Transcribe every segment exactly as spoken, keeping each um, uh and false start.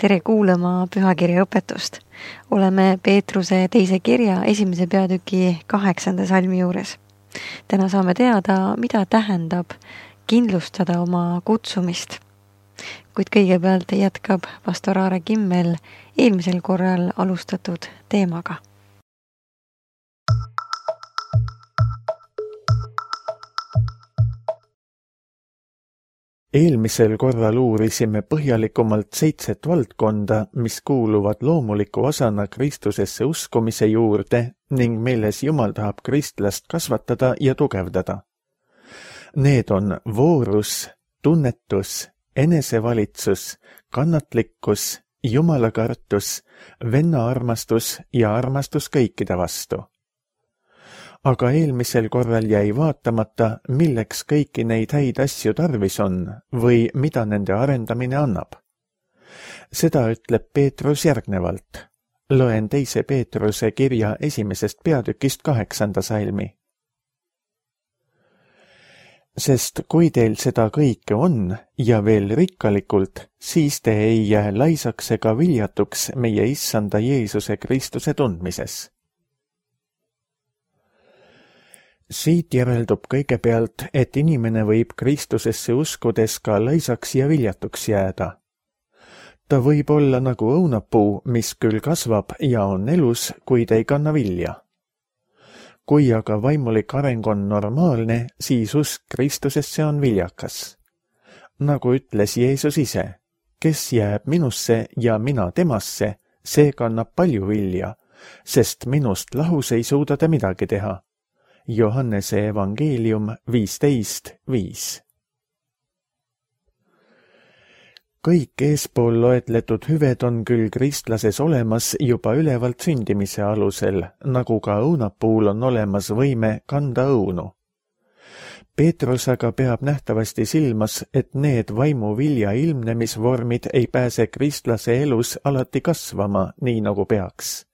Tere kuulama pühakirja õpetust. Oleme Peetruse teise kirja esimese peatüki kaheksanda salmi juures. Täna saame teada, mida tähendab kindlustada oma kutsumist. Kuid kõigepealt jätkab pastor Aare Kimmel eelmisel korral alustatud teemaga. Eelmisel korral uurisime põhjalikumalt seitset valdkonda, mis kuuluvad loomuliku osana Kristusesse uskumise juurde ning milles Jumal tahab kristlast kasvatada ja tugevdada. Need on voorus, tunnetus, enesevalitsus, kannatlikkus, jumalakartus, vennaarmastus ja armastus kõikide vastu. Aga eelmisel korral jäi vaatamata, milleks kõiki neid häid asju tarvis on või mida nende arendamine annab. Seda ütleb Peetrus järgnevalt. Loen teise Peetruse kirja esimesest peatükist kaheksanda salmi. Sest kui teil seda kõike on ja veel rikkalikult, siis te ei jää laisaks ega viljatuks meie issanda Jeesuse Kristuse tundmises. Siit järeldub kõigepealt, et inimene võib Kristusesse uskudes ka laisaks ja viljatuks jääda. Ta võib olla nagu õunapuu, mis küll kasvab ja on elus, kuid ei kanna vilja. Kui aga vaimulik areng on normaalne, siis usk Kristusesse on viljakas. Nagu ütles Jeesus ise, kes jääb minusse ja mina temasse, see kannab palju vilja, sest minust lahus ei suuda ta midagi teha. Johannese evangeelium viisteist viis. Kõik eespool loetletud hüved on küll kristlases olemas juba ülevalt sündimise alusel, nagu ka õunapuul on olemas võime kanda õunu. Peetrus aga peab nähtavasti silmas, et need vaimu vilja ilmnemisvormid ei pääse kristlase elus alati kasvama, nii nagu peaks.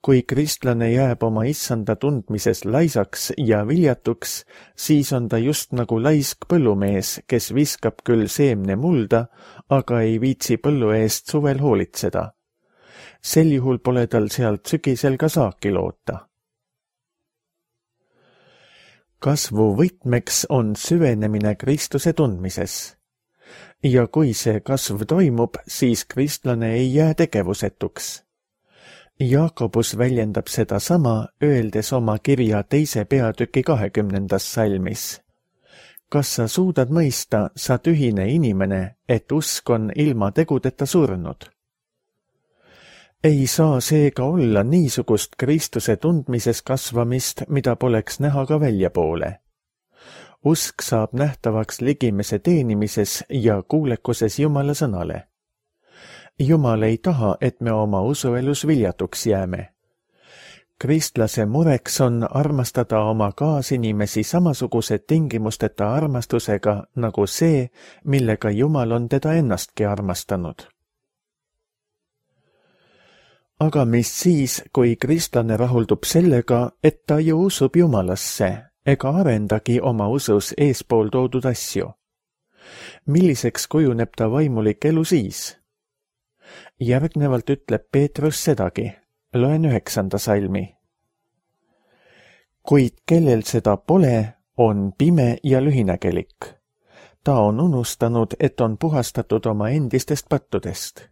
Kui kristlane jääb oma issanda tundmises laisaks ja viljatuks, siis on ta just nagu laisk põllumees, kes viskab küll seemne mulda, aga ei viitsi põllu eest suvel hoolitseda. Sel juhul pole tal sealt sügisel ka saaki loota. Kasvu võtmeks on süvenemine Kristuse tundmises. Ja kui see kasv toimub, siis kristlane ei jää tegevusetuks. Jaakobus väljendab seda sama, öeldes oma kirja teise peatüki kahekümnendas salmis. Kas sa suudad mõista, sa tühine inimene, et usk on ilma tegudeta surnud? Ei saa seega olla niisugust Kristuse tundmises kasvamist, mida poleks näha ka väljapoole. Usk saab nähtavaks ligimese teenimises ja kuulekuses Jumala sõnale. Jumal ei taha, et me oma usuelus viljatuks jääme. Kristlase mureks on armastada oma kaasinimesi samasuguse tingimusteta armastusega nagu see, millega Jumal on teda ennastki armastanud. Aga mis siis, kui kristlane rahuldub sellega, et ta ju usub Jumalasse ega arendagi oma usus eespool toodud asju? Milliseks kujuneb ta vaimulik elu siis? Järgnevalt ütleb Peetrus sedagi, loen üheksanda salmi. Kuid kellel seda pole, on pime ja lühinägelik. Ta on unustanud, et on puhastatud oma endistest pattudest.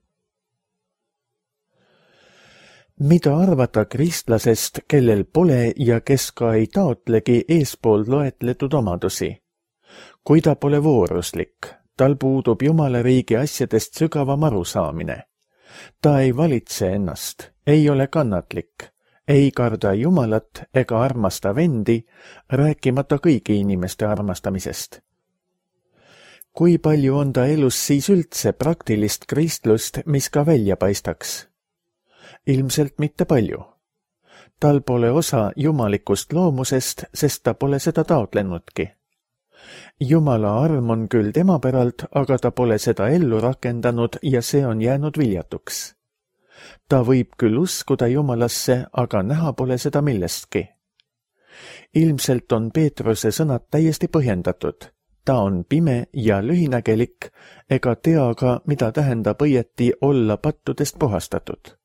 Mida arvata kristlasest, kellel pole ja kes ka ei taotlegi eespool loetletud omadusi? Kui ta pole vooruslik, tal puudub Jumala riigi asjadest sügavam arusaamine. Ta ei valitse ennast, ei ole kannatlik, ei karda Jumalat ega armasta vendi, rääkimata kõigi inimeste armastamisest. Kui palju on ta elus siis üldse praktilist kristlust, mis ka välja paistaks? Ilmselt mitte palju. Tal pole osa jumalikust loomusest, sest ta pole seda taotlenudki. Jumala arm on küll tema päralt, aga ta pole seda ellu rakendanud ja see on jäänud viljatuks. Ta võib küll uskuda Jumalasse, aga näha pole seda millestki. Ilmselt on Peetruse sõnad täiesti põhjendatud. ta on pime ja lühinägelik ega tea ka, mida tähendab õieti olla pattudest puhastatud.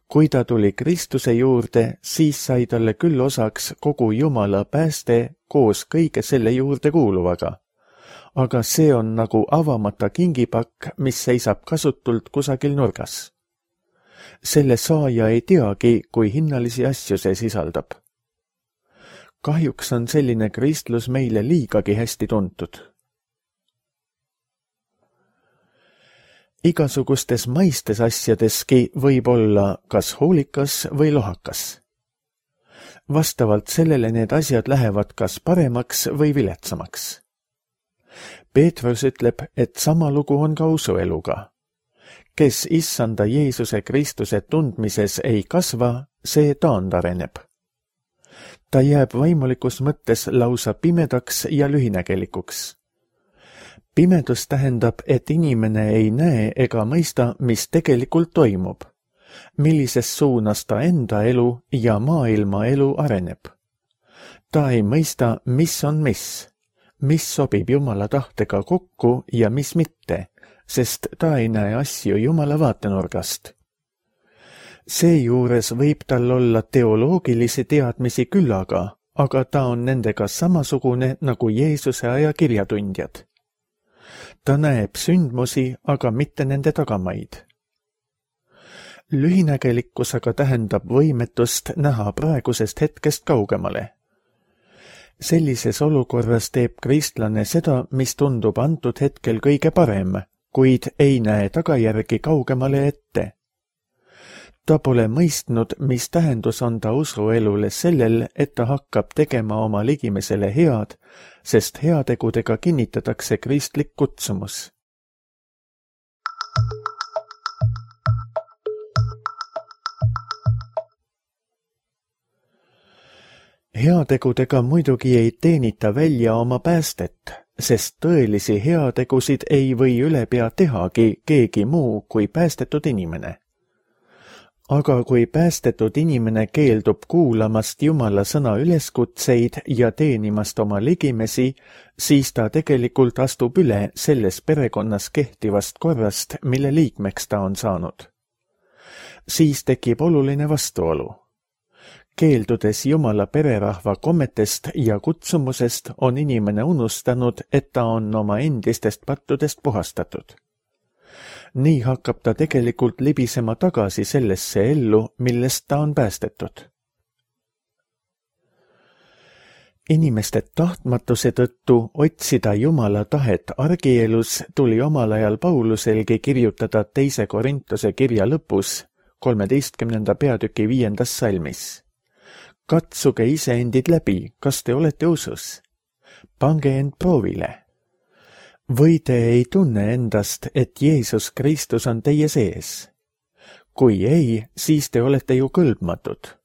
Kui ta tuli Kristuse juurde, siis sai talle küll osaks kogu Jumala pääste koos kõige selle juurde kuuluvaga. Aga see on nagu avamata kingipakk, mis seisab kasutult kusagil nurgas. Selle saaja ei teagi, kui hinnalisi asju see sisaldab. Kahjuks on selline kristlus meile liigagi hästi tuntud. Igasugustes maistes asjadeski võib olla kas hoolikas või lohakas. Vastavalt sellele need asjad lähevad kas paremaks või viletsamaks. Peetrus ütleb, et sama lugu on ka usueluga. Kes issanda Jeesuse Kristuse tundmises ei kasva, see taandareneb. Ta jääb vaimulikus mõttes lausa pimedaks ja lühinägelikuks. Pimedus tähendab, et inimene ei näe ega mõista, mis tegelikult toimub, millises suunas ta enda elu ja maailma elu areneb. Ta ei mõista, mis on mis, mis sobib Jumala tahtega kokku ja mis mitte, sest ta ei näe asju Jumala vaatenurgast. Seejuures võib tal olla teoloogilisi teadmisi küllaga, aga ta on nendega samasugune nagu Jeesuse aja kirjatundjad. Ta näeb sündmusi, aga mitte nende tagamaid. Lühinägelikkus aga tähendab võimetust näha praegusest hetkest kaugemale. Sellises olukorras teeb kristlane seda, mis tundub antud hetkel kõige parem, kuid ei näe tagajärgi kaugemale ette. Ta pole mõistnud, mis tähendus on ta usuelule sellel, et ta hakkab tegema oma ligimesele head, sest heategudega kinnitatakse kristlik kutsumus. Heategudega muidugi ei teenita välja oma päästet, sest tõelisi heategusid ei või ülepea tehagi keegi muu kui päästetud inimene. Aga kui päästetud inimene keeldub kuulamast Jumala sõna üleskutseid ja teenimast oma ligimesi, siis ta tegelikult astub üle selles perekonnas kehtivast korrast, mille liikmeks ta on saanud. Siis tekib oluline vastuolu. Keeldudes Jumala pererahva kommetest ja kutsumusest on inimene unustanud, et ta on oma endistest pattudest puhastatud. Nii hakkab ta tegelikult libisema tagasi sellesse ellu, millest ta on päästetud. Inimeste tahtmatuse tõttu otsida Jumala tahet argielus tuli omal ajal Pauluselgi kirjutada teise Korintuse kirja lõpus, kolmeteistkümnenda peatüki viiendas salmis. Katsuge iseendid läbi, kas te olete usus? Pange end proovile. Või te ei tunne endast, et Jeesus Kristus on teie sees? Kui ei, siis te olete ju kõlbmatud.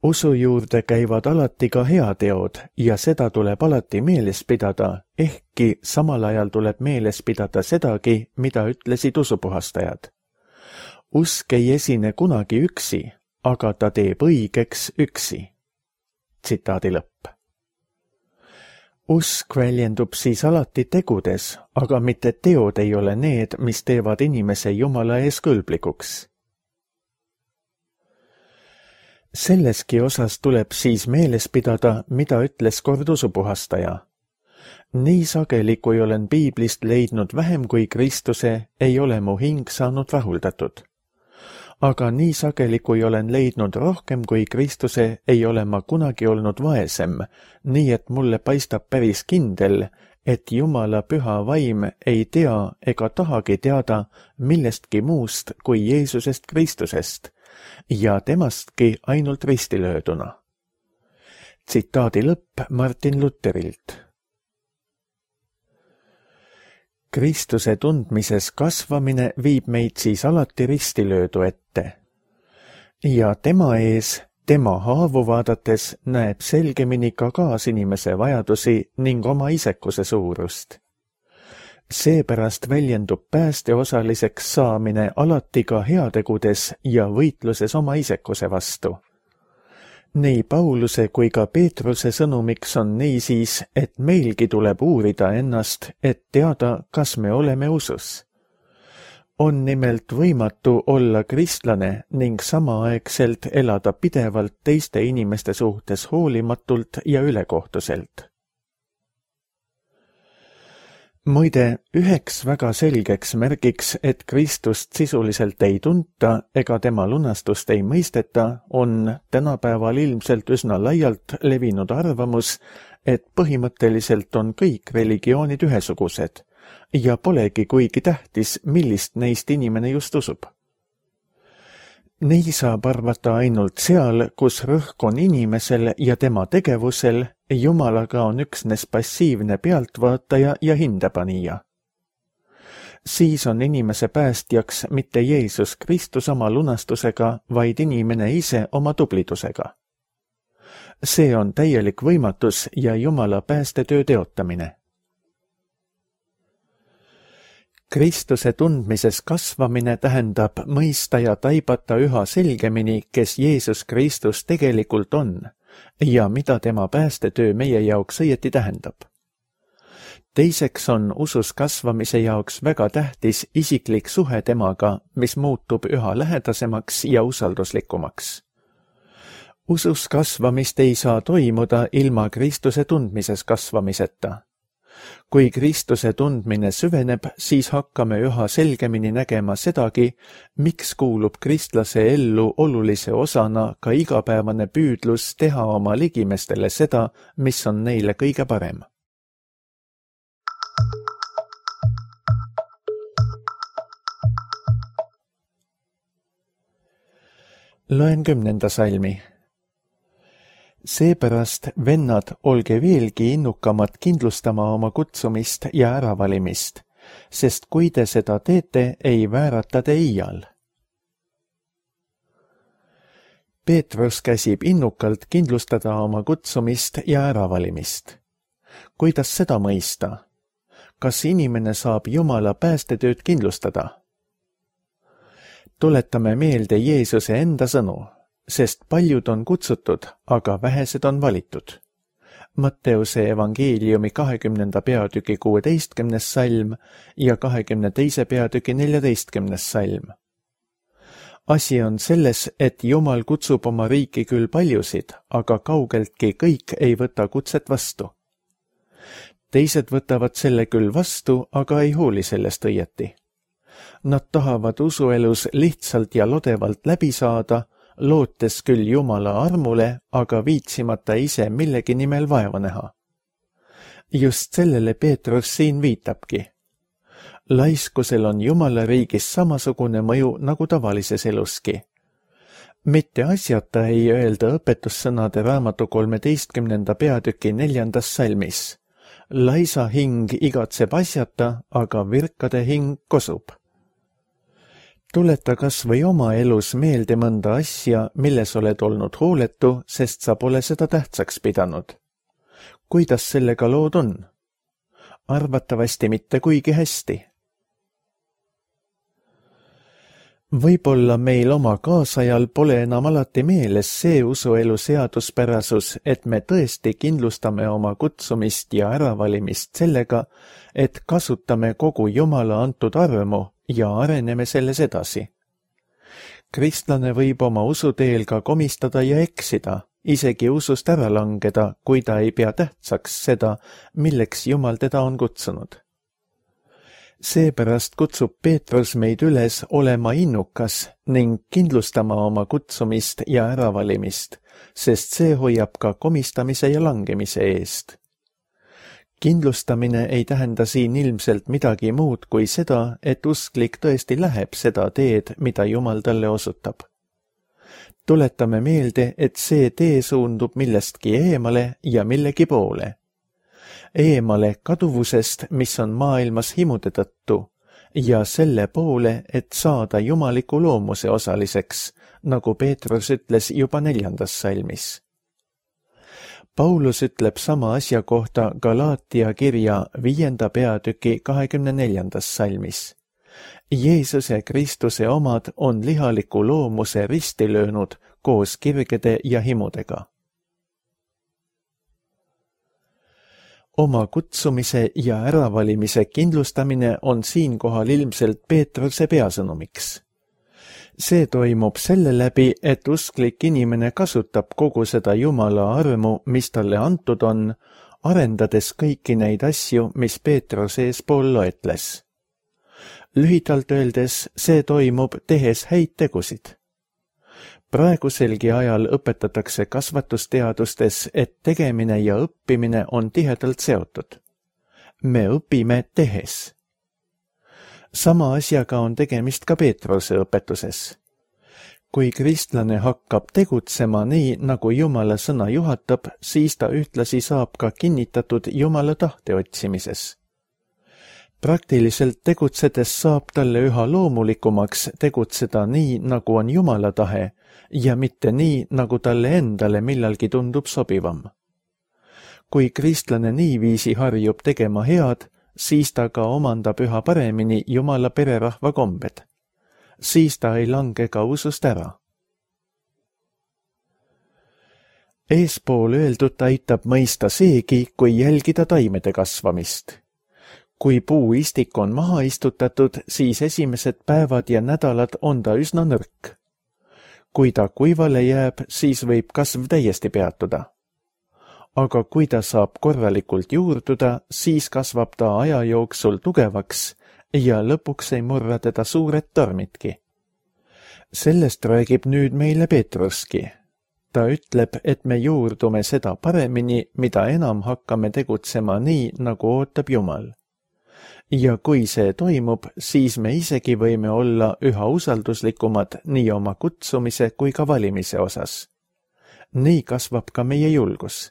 Usu juurde käivad alati ka heateod ja seda tuleb alati meeles pidada, ehkki samal ajal tuleb meeles pidada sedagi, mida ütlesid usupuhastajad. Usk ei esine kunagi üksi, aga ta teeb õigeks üksi. Tsitaadi lõpp. Usk väljendub siis alati tegudes, aga mitte teod ei ole need, mis teevad inimese Jumala ees kõlblikuks. Selleski osas tuleb siis meeles pidada, mida ütles kord usupuhastaja. Nii sageli, kui olen piiblist leidnud vähem kui Kristuse, ei ole mu hing saanud rahuldatud. Aga nii sageli, kui olen leidnud rohkem kui Kristuse, ei ole ma kunagi olnud vaesem, nii et mulle paistab päris kindel, et Jumala püha vaim ei tea ega tahagi teada millestki muust kui Jeesusest Kristusest ja temastki ainult ristilööduna. Tsitaadi lõpp Martin Luterilt. Kristuse tundmises kasvamine viib meid siis alati ristilöödu ette. Ja tema ees, tema haavu vaadates näeb selgemini ka kaasinimese vajadusi ning oma isekuse suurust. Seepärast väljendub päästeosaliseks saamine alati ka heategudes ja võitluses oma isekuse vastu. nii Pauluse kui ka Peetruse sõnumiks on niisiis, et meilgi tuleb uurida ennast, et teada, kas me oleme usus. On nimelt võimatu olla kristlane ning samaaegselt elada pidevalt teiste inimeste suhtes hoolimatult ja ülekohtuselt. Muide, üheks väga selgeks märgiks, et Kristust sisuliselt ei tunta ega tema lunastust ei mõisteta, on tänapäeval ilmselt üsna laialt levinud arvamus, et põhimõtteliselt on kõik religioonid ühesugused ja polegi kuigi tähtis, millist neist inimene just usub. Nii saab arvata ainult seal, kus rõhk on inimesel ja tema tegevusel, Jumalaga on üksnes passiivne pealtvaataja ja hindepanija. Siis on inimese päästjaks mitte Jeesus Kristus oma lunastusega, vaid inimene ise oma tublidusega. See on täielik võimatus ja Jumala päästetöö teotamine. Kristuse tundmises kasvamine tähendab mõista ja taibata üha selgemini, kes Jeesus Kristus tegelikult on ja mida tema päästetöö meie jaoks õieti tähendab. Teiseks on usus kasvamise jaoks väga tähtis isiklik suhe temaga, mis muutub üha lähedasemaks ja usalduslikumaks. Usus kasvamist ei saa toimuda ilma Kristuse tundmises kasvamiseta. Kui Kristuse tundmine süveneb, siis hakkame üha selgemini nägema sedagi, miks kuulub kristlase ellu olulise osana ka igapäevane püüdlus teha oma ligimestele seda, mis on neile kõige parem. Loen kümnenda salmi. Seepärast, vennad, olge veelgi innukamad kindlustama oma kutsumist ja äravalimist, sest kui te seda teete, ei väärata te iial. Peetrus käsib innukalt kindlustada oma kutsumist ja äravalimist. Kuidas seda mõista? Kas inimene saab Jumala päästetööd kindlustada? Tuletame meelde Jeesuse enda sõnu. Sest paljud on kutsutud, aga vähesed on valitud. Matteuse evangeeliumi kahekümnenda peatüki kuueteistkümnes salm ja kahekümne teise peatüki neljateistkümnes salm. Asi on selles, et Jumal kutsub oma riiki küll paljusid, aga kaugeltki kõik ei võta kutset vastu. Teised võtavad selle küll vastu, aga ei hooli sellest õieti. Nad tahavad usuelus lihtsalt ja lodevalt läbi saada, lootes küll Jumala armule, aga viitsimata ise millegi nimel vaeva näha. Just sellele Peetrus siin viitabki. Laiskusel on Jumala riigis samasugune mõju nagu tavalises eluski. Mitte asjata ei öelda õpetussõnade raamatu kolmeteistkümnenda peatüki neljandas salmis. Laisa hing igatseb asjata, aga virkade hing kosub. Tuleta kas või oma elus meelde mõnda asja, milles oled olnud hooletu, sest sa pole seda tähtsaks pidanud. Kuidas sellega lood on? Arvatavasti mitte kuigi hästi. Võib-olla meil oma kaasajal pole enam alati meeles see usuelu seaduspärasus, et me tõesti kindlustame oma kutsumist ja äravalimist sellega, et kasutame kogu Jumala antud armu ja areneme selles edasi. Kristlane võib oma usuteel ka komistada ja eksida, isegi usust ära langeda, kui ta ei pea tähtsaks seda, milleks Jumal teda on kutsunud. Seepärast kutsub Peetrus meid üles olema innukas ning kindlustama oma kutsumist ja äravalimist, sest see hoiab ka komistamise ja langemise eest. Kindlustamine ei tähenda siin ilmselt midagi muud kui seda, et usklik tõesti läheb seda teed, mida Jumal talle osutab. Tuletame meelde, et see tee suundub millestki eemale ja millegi poole. Eemale kaduvusest, mis on maailmas himude tõttu, ja selle poole, et saada jumaliku loomuse osaliseks, nagu Peetrus ütles juba neljandas salmis. Paulus ütleb sama asja kohta Galaatia kirja viienda peatüki kahekümne neljandas salmis. Jeesuse Kristuse omad on lihaliku loomuse risti löönud, koos kirgede ja himudega. Oma kutsumise ja äravalimise kindlustamine on siinkohal ilmselt Peetruse peasõnumiks. See toimub selle läbi, et usklik inimene kasutab kogu seda Jumala armu, mis talle antud on, arendades kõiki neid asju, mis Peetrus eespool loetles. Lühidalt öeldes see toimub tehes häid tegusid. Praeguselgi ajal õpetatakse kasvatusteadustes, et tegemine ja õppimine on tihedalt seotud. Me õpime tehes. Sama asjaga on tegemist ka Peetruse õpetuses. Kui kristlane hakkab tegutsema nii, nagu Jumala sõna juhatab, siis ta ühtlasi saab ka kinnitatud Jumala tahte otsimises. Praktiliselt tegutsedes saab talle üha loomulikumaks tegutseda nii, nagu on Jumala tahe, ja mitte nii, nagu talle endale millalgi tundub sobivam. Kui kristlane niiviisi harjub tegema head, siis ta ka omandab üha paremini Jumala pererahva kombed. Siis ta ei lange ka usust ära. Eespool öeldut aitab mõista seegi, kui jälgida taimede kasvamist. Kui puuistik on maha istutatud, siis esimesed päevad ja nädalad on ta üsna nõrk. Kui ta kuivale jääb, siis võib kasv täiesti peatuda. Aga kui ta saab korralikult juurduda, siis kasvab ta aja jooksul tugevaks ja lõpuks ei murra teda suured tormitki. Sellest räägib nüüd meile Peetruski. Ta ütleb, et me juurdume seda paremini, mida enam hakkame tegutsema nii, nagu ootab Jumal. Ja kui see toimub, siis me isegi võime olla üha usalduslikumad nii oma kutsumise kui ka valimise osas. Nii kasvab ka meie julgus.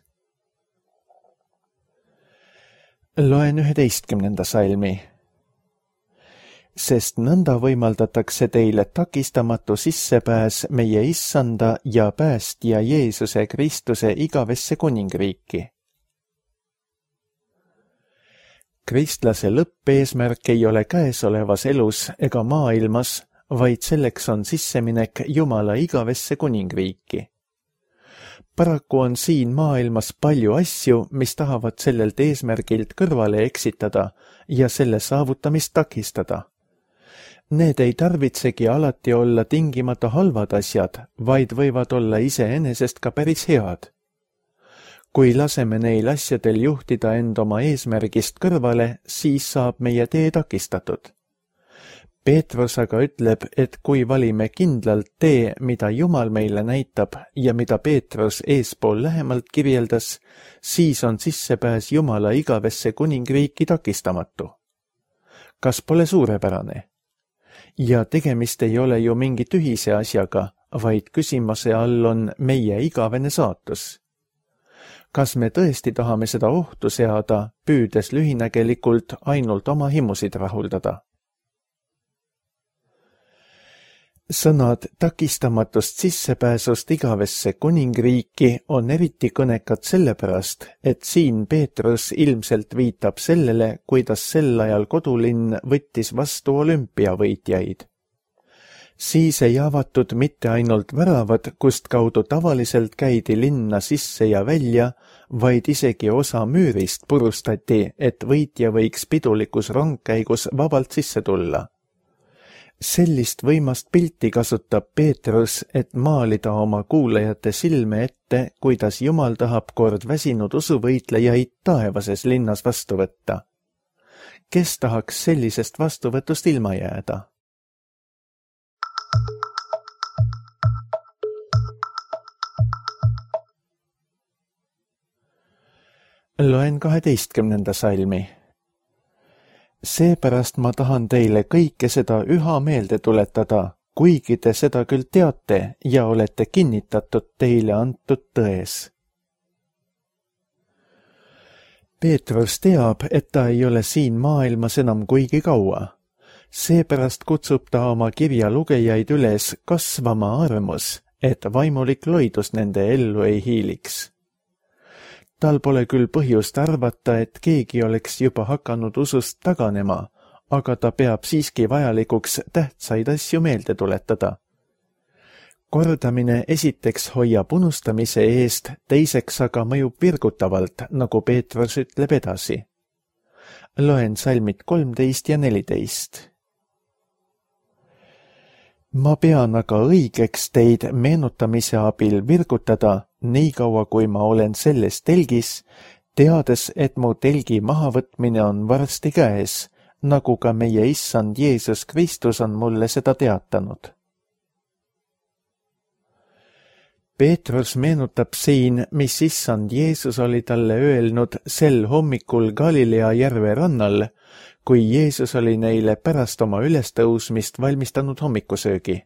Loen üheteistkümnenda salmi. Sest nõnda võimaldatakse teile takistamatu sissepääs meie issanda ja päästja Jeesuse Kristuse igavesse kuningriiki. Kristlase lõppeesmärk ei ole käesolevas elus ega maailmas, vaid selleks on sisseminek Jumala igavesse kuningriiki. Paraku on siin maailmas palju asju, mis tahavad sellelt eesmärgilt kõrvale eksitada ja selle saavutamist takistada. Need ei tarvitsegi alati olla tingimata halvad asjad, vaid võivad olla iseenesest ka päris head. Kui laseme neil asjadel juhtida end oma eesmärgist kõrvale, siis saab meie tee takistatud. Peetrus aga ütleb, et kui valime kindlalt tee, mida Jumal meile näitab ja mida Peetrus eespool lähemalt kirjeldas, siis on sissepääs Jumala igavesse kuningriiki takistamatu. Kas pole suurepärane? Ja tegemist ei ole ju mingi tühise asjaga, vaid küsimuse all on meie igavene saatus. Kas me tõesti tahame seda ohtu seada, püüdes lühinägelikult ainult oma himusid rahuldada? Sõnad takistamatust sissepääsust igavesse kuningriiki on eriti kõnekad sellepärast, et siin Peetrus ilmselt viitab sellele, kuidas sel ajal kodulinn võttis vastu olümpiavõitjaid. Siis ei avatud mitte ainult väravad, kust kaudu tavaliselt käidi linna sisse ja välja, vaid isegi osa müürist purustati, et võitja võiks pidulikus rongkäigus vabalt sisse tulla. Sellist võimast pilti kasutab Peetrus, et maalida oma kuulajate silme ette, kuidas Jumal tahab kord väsinud usuvõitlejaid taevases linnas vastu võtta. Kes tahaks sellisest vastuvõtust ilma jääda? Loen kaheteistkümnenda salmi. Seepärast ma tahan teile kõike seda üha meelde tuletada, kuigi te seda küll teate ja olete kinnitatud teile antud tões. Peetrus teab, et ta ei ole siin maailmas enam kuigi kaua. Seepärast kutsub ta oma kirja lugejaid üles kasvama armus, et vaimulik loidus nende ellu ei hiiliks. Tal pole küll põhjust arvata, et keegi oleks juba hakanud usust taganema, aga ta peab siiski vajalikuks tähtsaid asju meelde tuletada. kordamine esiteks hoiab unustamise eest, teiseks aga mõjub virgutavalt, nagu Peetrus ütleb edasi. Loen salmid kolmteist ja neliteist. Ma pean aga õigeks teid meenutamise abil virgutada, niikaua kui ma olen selles telgis, teades, et mu telgi mahavõtmine on varsti käes, nagu ka meie issand Jeesus Kristus on mulle seda teatanud. Peetrus meenutab siin, mis issand Jeesus oli talle öelnud sel hommikul Galilea järve rannal, kui Jeesus oli neile pärast oma ülestõusmist valmistanud hommikusöögi.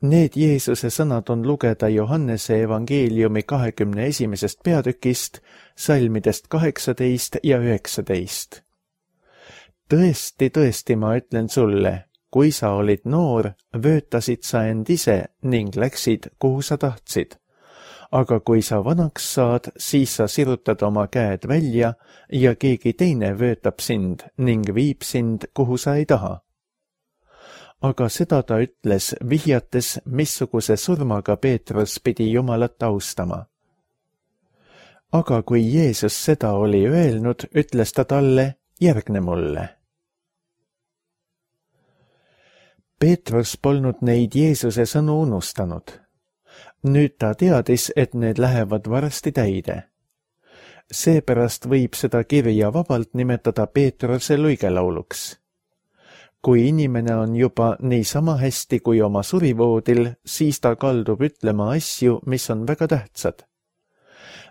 Need Jeesuse sõnad on lugeda Johannese evangeeliumi kahekümne esimesest peatükist, salmidest kaheksateist ja üheksateist. Tõesti, tõesti, ma ütlen sulle, kui sa olid noor, vöötasid sa end ise ning läksid, kuhu sa tahtsid. Aga kui sa vanaks saad, siis sa sirutad oma käed välja ja keegi teine vöötab sind ning viib sind, kuhu sa ei taha. Aga seda ta ütles, vihjates, missuguse surmaga Peetrus pidi Jumalat austama. Aga kui Jeesus seda oli öelnud, ütles ta talle, järgne mulle. Peetrus polnud neid Jeesuse sõnu unustanud. Nüüd ta teadis, et need lähevad varsti täide. Seepärast võib seda kirja vabalt nimetada Peetruse luigelauluks. Kui inimene on juba niisama hästi kui oma surivoodil, siis ta kaldub ütlema asju, mis on väga tähtsad.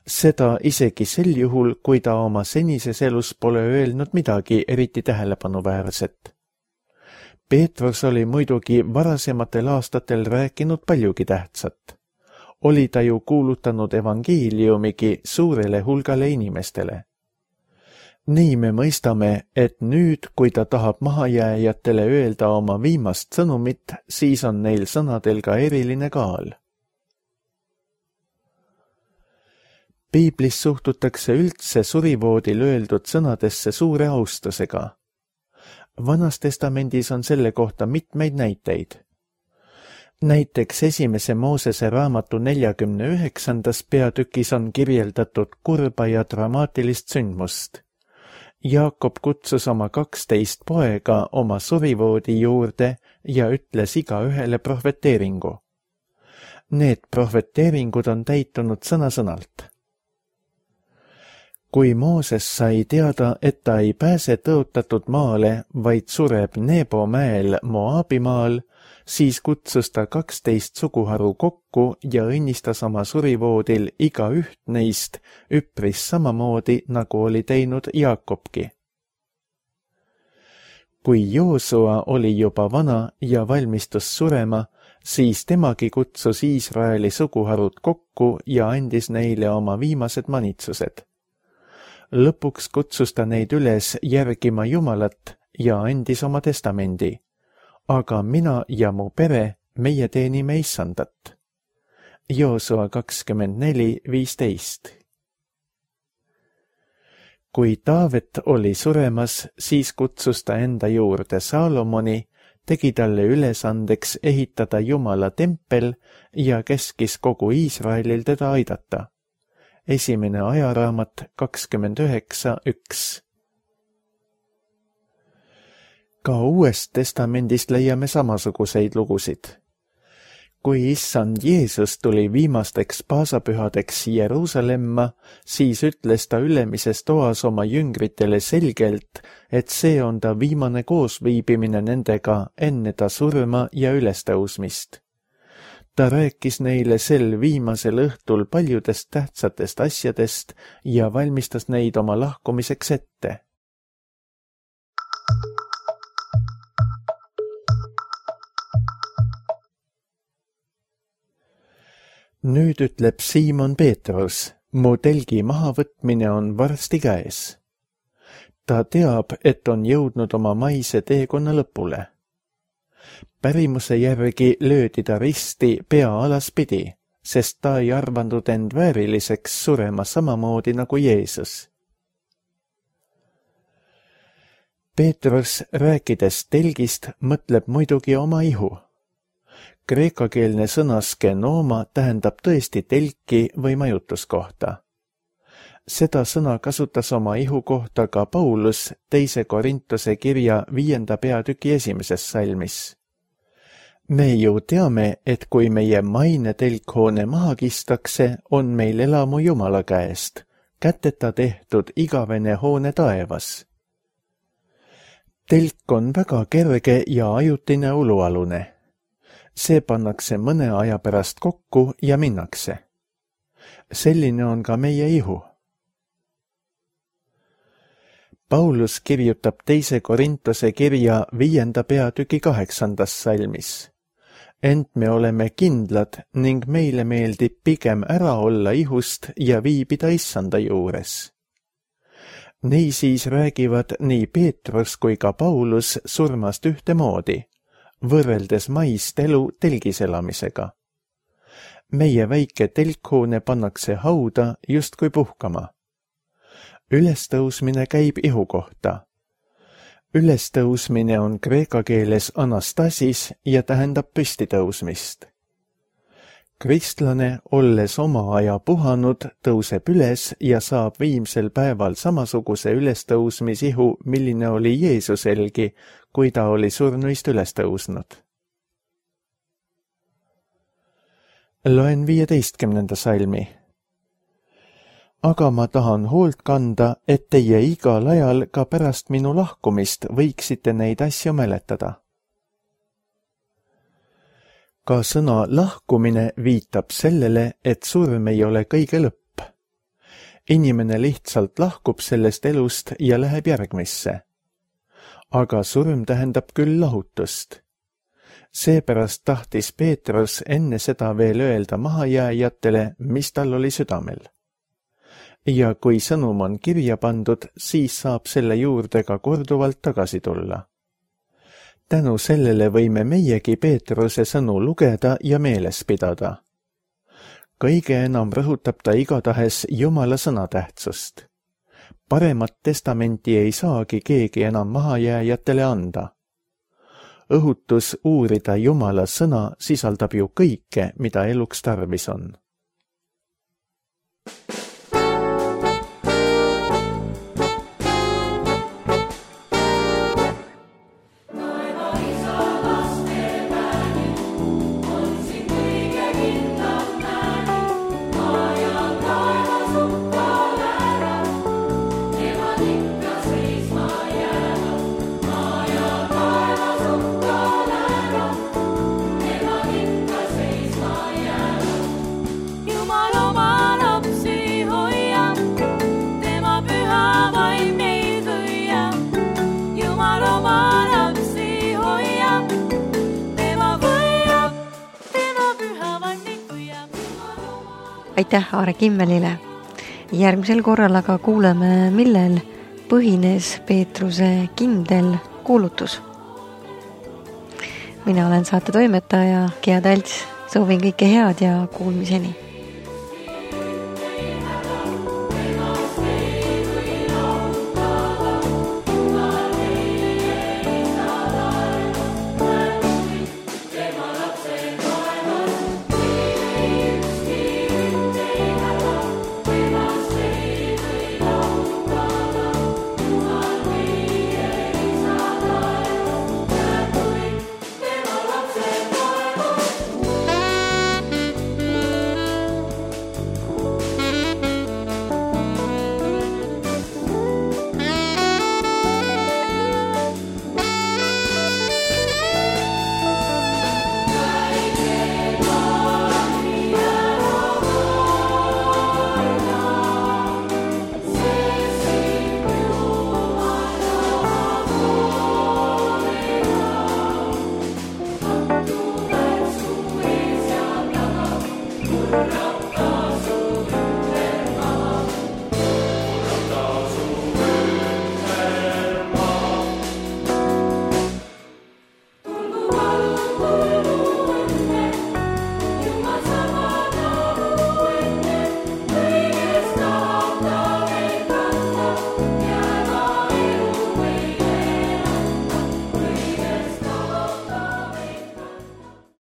Seda isegi sel juhul, kui ta oma senises elus pole öelnud midagi eriti tähelepanuväärset. Peetrus oli muidugi varasematel aastatel rääkinud paljugi tähtsat. Oli ta ju kuulutanud evangeeliumigi suurele hulgale inimestele. Nii me mõistame, et nüüd, kui ta tahab mahajääjatele öelda oma viimast sõnumit, siis on neil sõnadel ka eriline kaal. Piiblis suhtutakse üldse surivoodil öeldud sõnadesse suure austusega. Vanas testamendis on selle kohta mitmeid näiteid. Näiteks esimese Moosese raamatu neljakümne üheksandas peatükis on kirjeldatud kurba ja dramaatilist sündmust. Jaakob kutsus oma kaksteist poega oma surivoodi juurde ja ütles igaühele prohveteeringu. Need prohveteeringud on täitunud sõna-sõnalt. Kui Mooses sai teada, et ta ei pääse tõotatud maale, vaid sureb Nebo mäel Moabimaal, siis kutsus ta kaksteist suguharu kokku ja õnnistas oma surivoodil iga üht neist üpris samamoodi, nagu oli teinud Jaakobki. Kui Joosua oli juba vana ja valmistus surema, siis temagi kutsus Iisraeli suguharud kokku ja andis neile oma viimased manitsused. Lõpuks kutsus ta neid üles järgima Jumalat ja andis oma testamendi. Aga mina ja mu pere, meie teenime issandat. Joosua kakskümmend neli viisteist. Kui Taavet oli suremas, siis kutsus ta enda juurde Saalomoni, tegi talle ülesandeks ehitada Jumala tempel ja käskis kogu Iisraelil teda aidata. Esimene ajaraamat kakskümmend üheksa üks. Ka Uuest testamendist leiame samasuguseid lugusid. Kui issand Jeesus tuli viimasteks paasapühadeks Jeruusalemma, siis ütles ta ülemises toas oma jüngritele selgelt, et see on ta viimane koosviibimine nendega enne ta surma ja ülestõusmist. Ta rääkis neile sel viimasel õhtul paljudest tähtsatest asjadest ja valmistas neid oma lahkumiseks ette. Nüüd ütleb Siimon Peetrus, mu telgi mahavõtmine on varsti käes. Ta teab, et on jõudnud oma maise teekonna lõpule. Pärimuse järgi löödi ta risti pea alaspidi, sest ta ei arvanud end vääriliseks surema samamoodi nagu Jeesus. Peetrus, rääkides telgist, mõtleb muidugi oma ihu. Kreekakeelne sõna skenoma tähendab tõesti telki või majutuskohta. Seda sõna kasutas oma ihu kohta ka Paulus teise Korintuse kirja viienda peatüki esimeses salmis. Me ju teame, et kui meie maine telkhoone maha kistakse, on meil elamu Jumala käest, käteta tehtud igavene hoone taevas. Telk on väga kerge ja ajutine ulualune. See pannakse mõne aja pärast kokku ja minnakse. Selline on ka meie ihu. Paulus kirjutab teise Korintuse kirja viienda peatüki kaheksandas salmis. Ent me oleme kindlad ning meile meeldib pigem ära olla ihust ja viibida issanda juures. Niisiis räägivad nii Peetrus kui ka Paulus surmast ühtemoodi, võrreldes maist elu telgis elamisega. Meie väike telkhoone pannakse hauda justkui puhkama. Ülestõusmine käib ihu kohta. Ülestõusmine on kreeka keeles anastasis ja tähendab püstitõusmist. Kristlane, olles oma aja puhanud, tõuseb üles ja saab viimsel päeval samasuguse ülestõusmisihu, milline oli Jeesuselgi, kui ta oli surnuist üles tõusnud. Loen viieteistkümnenda salmi. Aga ma tahan hoolt kanda, et teie igal ajal ka pärast minu lahkumist võiksite neid asju mäletada. Ka sõna lahkumine viitab sellele, et surm ei ole kõige lõpp. Inimene lihtsalt lahkub sellest elust ja läheb järgmisse. Aga surm tähendab küll lahutust. Seepärast tahtis Peetrus enne seda veel öelda mahajääjatele, mis tal oli südamel. Ja kui sõnum on kirja pandud, siis saab selle juurde ka korduvalt tagasi tulla. Tänu sellele võime meiegi Peetruse sõnu lugeda ja meeles pidada. Kõige enam rõhutab ta igatahes Jumala sõnatähtsust. Paremat testamenti ei saagi keegi enam mahajääjatele anda. Õhutus uurida Jumala sõna sisaldab ju kõike, mida eluks tarvis on. Aitäh Aare Kimmelile. Järgmisel korral aga kuuleme, millel põhines Peetruse kindel kuulutus. Mina olen saate toimetaja Gea Talts. Soovin kõike head ja kuulmiseni.